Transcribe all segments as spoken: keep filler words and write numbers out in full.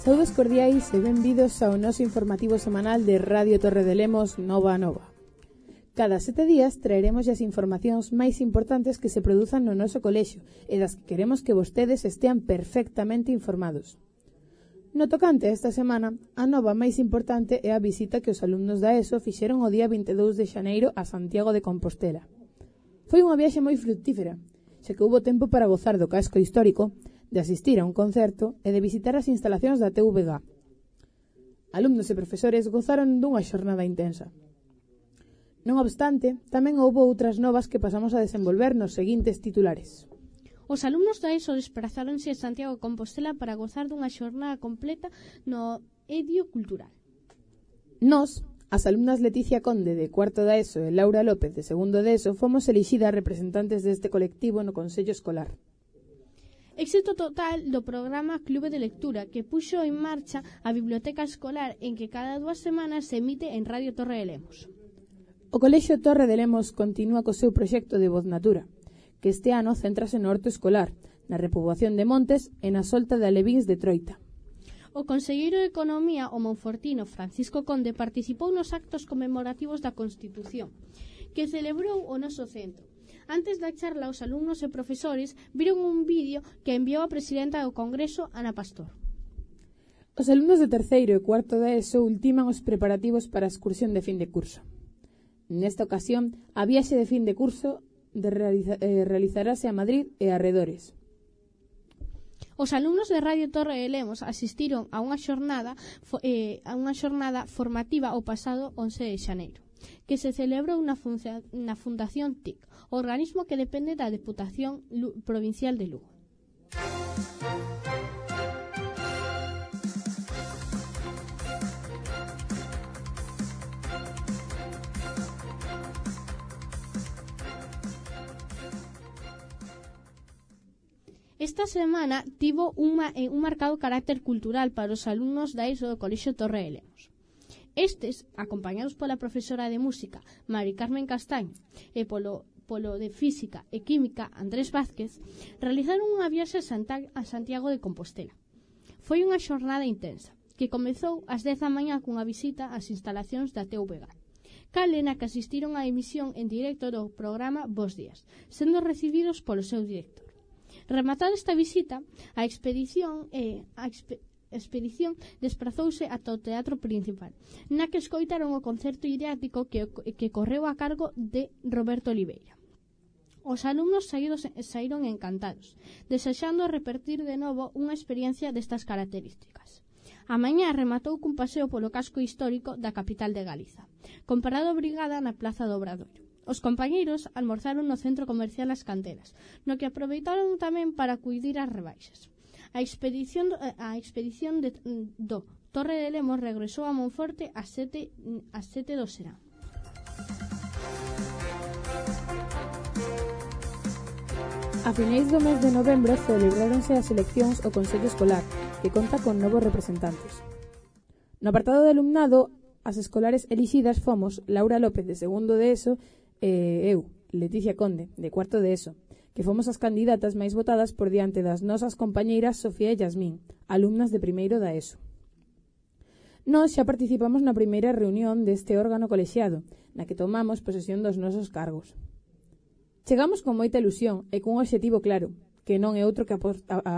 Saudos cordiais e benvidos ao noso informativo semanal de Radio Torre de Lemos Nova a Nova. Cada sete días traeremos as informacións máis importantes que se produzan no noso colexio e das que queremos que vostedes estean perfectamente informados. No tocante a esta semana, a nova máis importante é a visita que os alumnos da ESO fixeron o día vinte e dous de xaneiro a Santiago de Compostela. Foi unha viaxe moi fructífera, xa que houbo tempo para gozar do casco histórico, de asistir a un concerto e de visitar as instalacións da T V G. Alumnos e profesores gozaron dunha xornada intensa. Non obstante, tamén houbo outras novas que pasamos a desenvolver nos seguintes titulares. Os alumnos da ESO desprazáronse a Santiago de Compostela para gozar dunha xornada completa no Edio Cultural. Nos, as alumnas Leticia Conde de cuarto da ESO e Laura López de segundo de ESO, fomos elixidas representantes deste colectivo no Consello Escolar. Éxito total do programa Clube de Lectura, que puxo en marcha a biblioteca escolar en que cada dúas semanas se emite en Radio Torre de Lemos. O Colexio Torre de Lemos continúa co seu proxecto de Voz Natura, que este ano céntrase no horto escolar, na repoboación de montes e na solta de alevíns de Troita. O conselleiro de Economía, o monfortino Francisco Conde, participou nos actos conmemorativos da Constitución, que celebrou o noso centro. Antes da charla, os alumnos e profesores viron un vídeo que enviou a presidenta do Congreso, Ana Pastor. Os alumnos de terceiro e cuarto da ESO ultiman os preparativos para a excursión de fin de curso. Nesta ocasión, a viaxe de fin de curso de realiza, eh, realizarase a Madrid e arredores. Os alumnos de Radio Torre de Lemos asistiron a unha xornada eh, a unha xornada formativa o pasado once de xaneiro, que se celebrou na, función, na Fundación T I C, organismo que depende da Deputación Provincial de Lugo. Esta semana tivo unha, eh, un marcado carácter cultural para os alumnos da ESO do Colexio Torre de Lemos. Estes, acompañados pola profesora de música Mari Carmen Castaño e polo, polo de física e química Andrés Vázquez, realizaron unha viaxe a Santiago de Compostela. Foi unha xornada intensa, que comezou ás dez da mañá cunha visita ás instalacións da T V G, cale na que asistiron á emisión en directo do programa Bos Días, sendo recibidos polo seu director. Rematada esta visita, a expedición e eh, a expe expedición desprazouse ata o Teatro Principal, na que escoitaron o concerto didáctico que, que correu a cargo de Roberto Oliveira. Os alumnos saídos, saíron encantados, desexando repetir de novo unha experiencia destas características. A mañá rematou cun paseo polo casco histórico da capital de Galiza, con parada obrigada na Plaza do Obradoiro. Os compañeiros almorzaron no centro comercial As Canteras, no que aproveitaron tamén para acudir ás rebaixas. A expedición, a expedición de, do Torre de Lemos regresou a Monforte ás sete, ás sete do serán. A finais do mes de novembro celebráronse as eleccións ao Consello Escolar, que conta con novos representantes. No apartado de alumnado, as escolares elixidas fomos Laura López de segundo de ESO e eu, Leticia Conde, de cuarto de ESO, que fomos as candidatas máis votadas por diante das nosas compañeiras Sofía e Yasmín, alumnas de primeiro da ESO. Nós xa participamos na primeira reunión deste órgano colexiado, na que tomamos posesión dos nosos cargos. Chegamos con moita ilusión e cun obxectivo claro, que non é outro que aporta, a, a,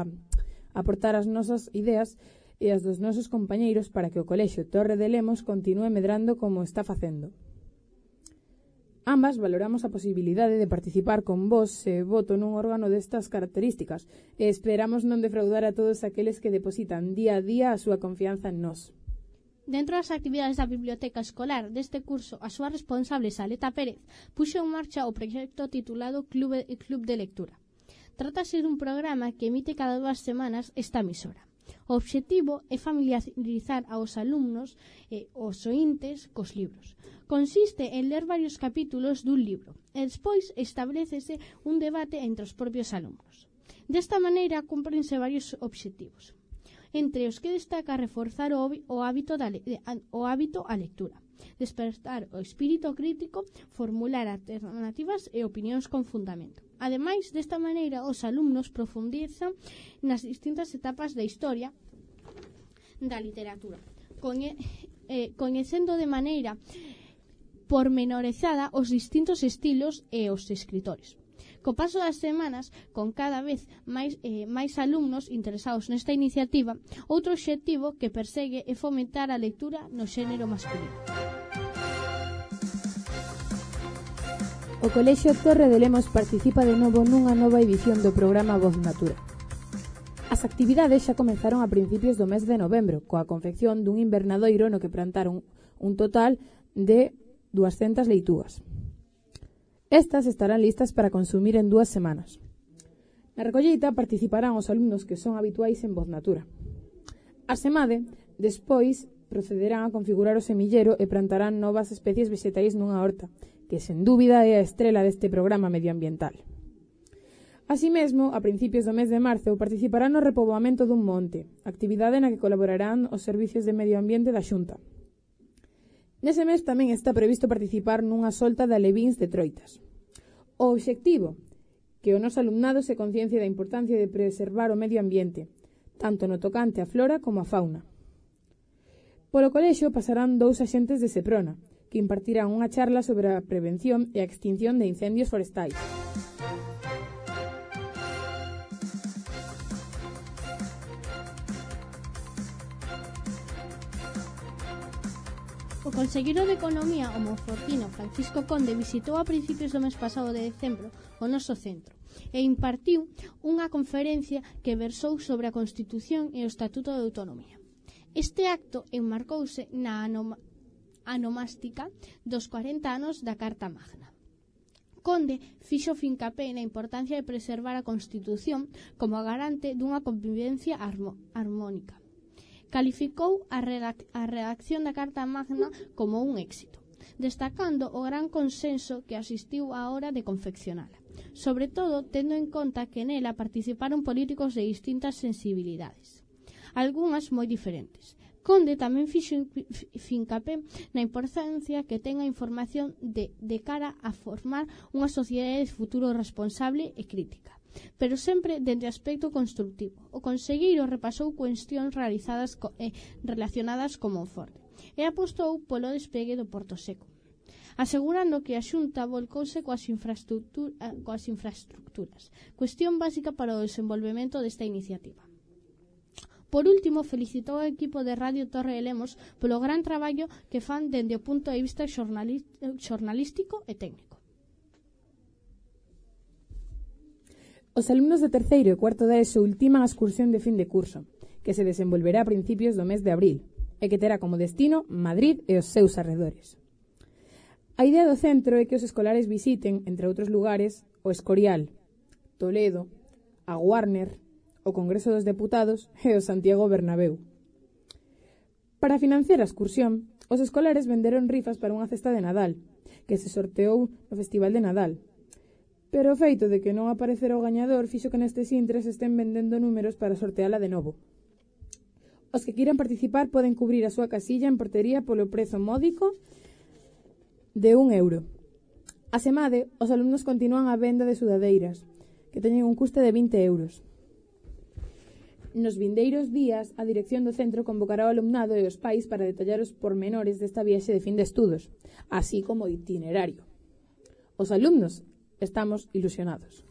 aportar as nosas ideas e as dos nosos compañeiros para que o Colexio Torre de Lemos continúe medrando como está facendo. Ambas valoramos a posibilidade de participar con voz e voto nun órgano destas características e esperamos non defraudar a todos aqueles que depositan día a día a súa confianza en nós. Dentro das actividades da biblioteca escolar deste curso, a súa responsable, Saleta Pérez, puxo en marcha o proxecto titulado Clube, Club de Lectura. Trátase dun programa que emite cada dúas semanas esta emisora. O obxectivo é familiarizar aos alumnos e os oíntes cos libros. Consiste en ler varios capítulos dun libro e despois establecese un debate entre os propios alumnos. Desta maneira cúmprense varios obxectivos, entre os que destaca reforzar o, o, hábito, da, o hábito a lectura, despertar o espírito crítico, formular alternativas e opinións con fundamento. Ademais, desta maneira, os alumnos profundizan nas distintas etapas da historia da literatura, coñe, eh, coñecendo de maneira pormenorizada os distintos estilos e os escritores. Co paso das semanas, con cada vez máis, eh, máis alumnos interesados nesta iniciativa, outro obxectivo que persegue é fomentar a lectura no xénero masculino. O Colexio Torre de Lemos participa de novo nunha nova edición do programa Voz Natura. As actividades xa comenzaron a principios do mes de novembro, coa confección dun invernadoiro no que plantaron un total de duascentas leitúas. Estas estarán listas para consumir en dúas semanas. Na recolleita participarán os alumnos que son habituais en Voz Natura. A semade, despois, procederán a configurar o semillero e plantarán novas especies vegetais nunha horta, que sen dúbida é a estrela deste programa medioambiental. Así mesmo, a principios do mes de marzo, participarán no repoboamento dun monte, actividade na que colaborarán os servicios de medio ambiente da Xunta. Nese mes tamén está previsto participar nunha solta de alevíns de troitas. O obxectivo, que o noso alumnado se conciencie da importancia de preservar o medio ambiente, tanto no tocante á flora como á fauna. Polo colexio pasarán dous axentes de Seprona, que impartirán unha charla sobre a prevención e a extinción de incendios forestais. O conselleiro de Economía, o monfortino Francisco Conde, visitou a principios do mes pasado de decembro o noso centro e impartiu unha conferencia que versou sobre a Constitución e o Estatuto de Autonomía. Este acto enmarcouse na anoma, anomástica dos corenta anos da Carta Magna. Conde fixo fincapé na importancia de preservar a Constitución como a garante dunha convivencia armo, armónica. Calificou a, redac a redacción da Carta Magna como un éxito, destacando o gran consenso que asistiu á hora de confeccionala, sobre todo tendo en conta que nela participaron políticos de distintas sensibilidades, algunhas moi diferentes. Conde tamén fixo fincapé na importancia que ten a información de, de cara a formar unha sociedade de futuro responsable e crítica, pero sempre dende aspecto constructivo. O conselleiro repasou cuestións realizadas co, eh, relacionadas con Monforte e apostou polo despegue do Porto Seco, asegurando que a Xunta volcouse coas, infraestructura, coas infraestructuras, cuestión básica para o desenvolvemento desta iniciativa. Por último, felicitou ao equipo de Radio Torre de Lemos polo gran traballo que fan dende o punto de vista xornalístico e técnico. Os alumnos de terceiro e cuarto da ESO ultiman a excursión de fin de curso, que se desenvolverá a principios do mes de abril, e que terá como destino Madrid e os seus arredores. A idea do centro é que os escolares visiten, entre outros lugares, o Escorial, Toledo, a Warner, o Congreso dos Deputados e o Santiago Bernabéu. Para financiar a excursión, os escolares venderon rifas para unha cesta de Nadal, que se sorteou no Festival de Nadal. Pero o feito de que non aparecera o gañador fixo que nestes intres estén vendendo números para sorteala de novo. Os que queiran participar poden cubrir a súa casilla en portería polo prezo módico de un euro. A semade, os alumnos continúan a venda de sudadeiras, que teñen un custe de vinte euros. Nos vindeiros días, a dirección do centro convocará ao alumnado e os pais para detallar os pormenores desta viaxe de fin de estudos, así como o itinerario. Os alumnos estamos ilusionados.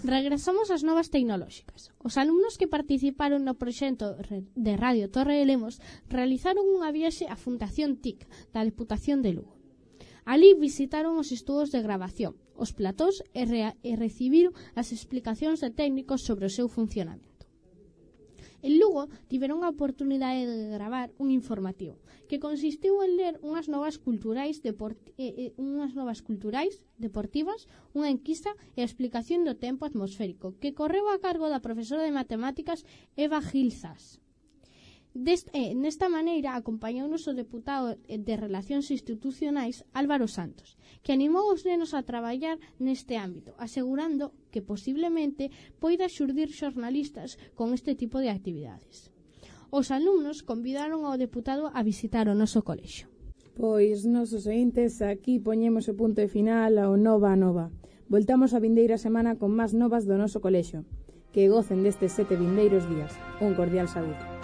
Regresamos ás novas tecnolóxicas. Os alumnos que participaron no proxecto de Radio Torre de Lemos realizaron unha viaxe á Fundación T I C da Deputación de Lugo. Alí visitaron os estudos de grabación, os platós e, re e recibiron as explicacións de técnicos sobre o seu funcionamento. En Lugo tiveron a oportunidade de gravar un informativo que consistiu en ler unhas novas culturais eh, eh, unhas novas culturais deportivas, unha enquisa e a explicación do tempo atmosférico que correu a cargo da profesora de matemáticas Eva Gilzas. Dest, eh, nesta maneira acompañounos o deputado de Relacións Institucionais Álvaro Santos, que animou os nenos a traballar neste ámbito, asegurando que posiblemente poida xurdir xornalistas con este tipo de actividades. Os alumnos convidaron ao deputado a visitar o noso colexio. Pois, nosos ointes, aquí poñemos o punto de final ao Nova a Nova. Voltamos a vindeira semana con máis novas do noso colexio. Que gocen destes sete vindeiros días. Un cordial saúdo.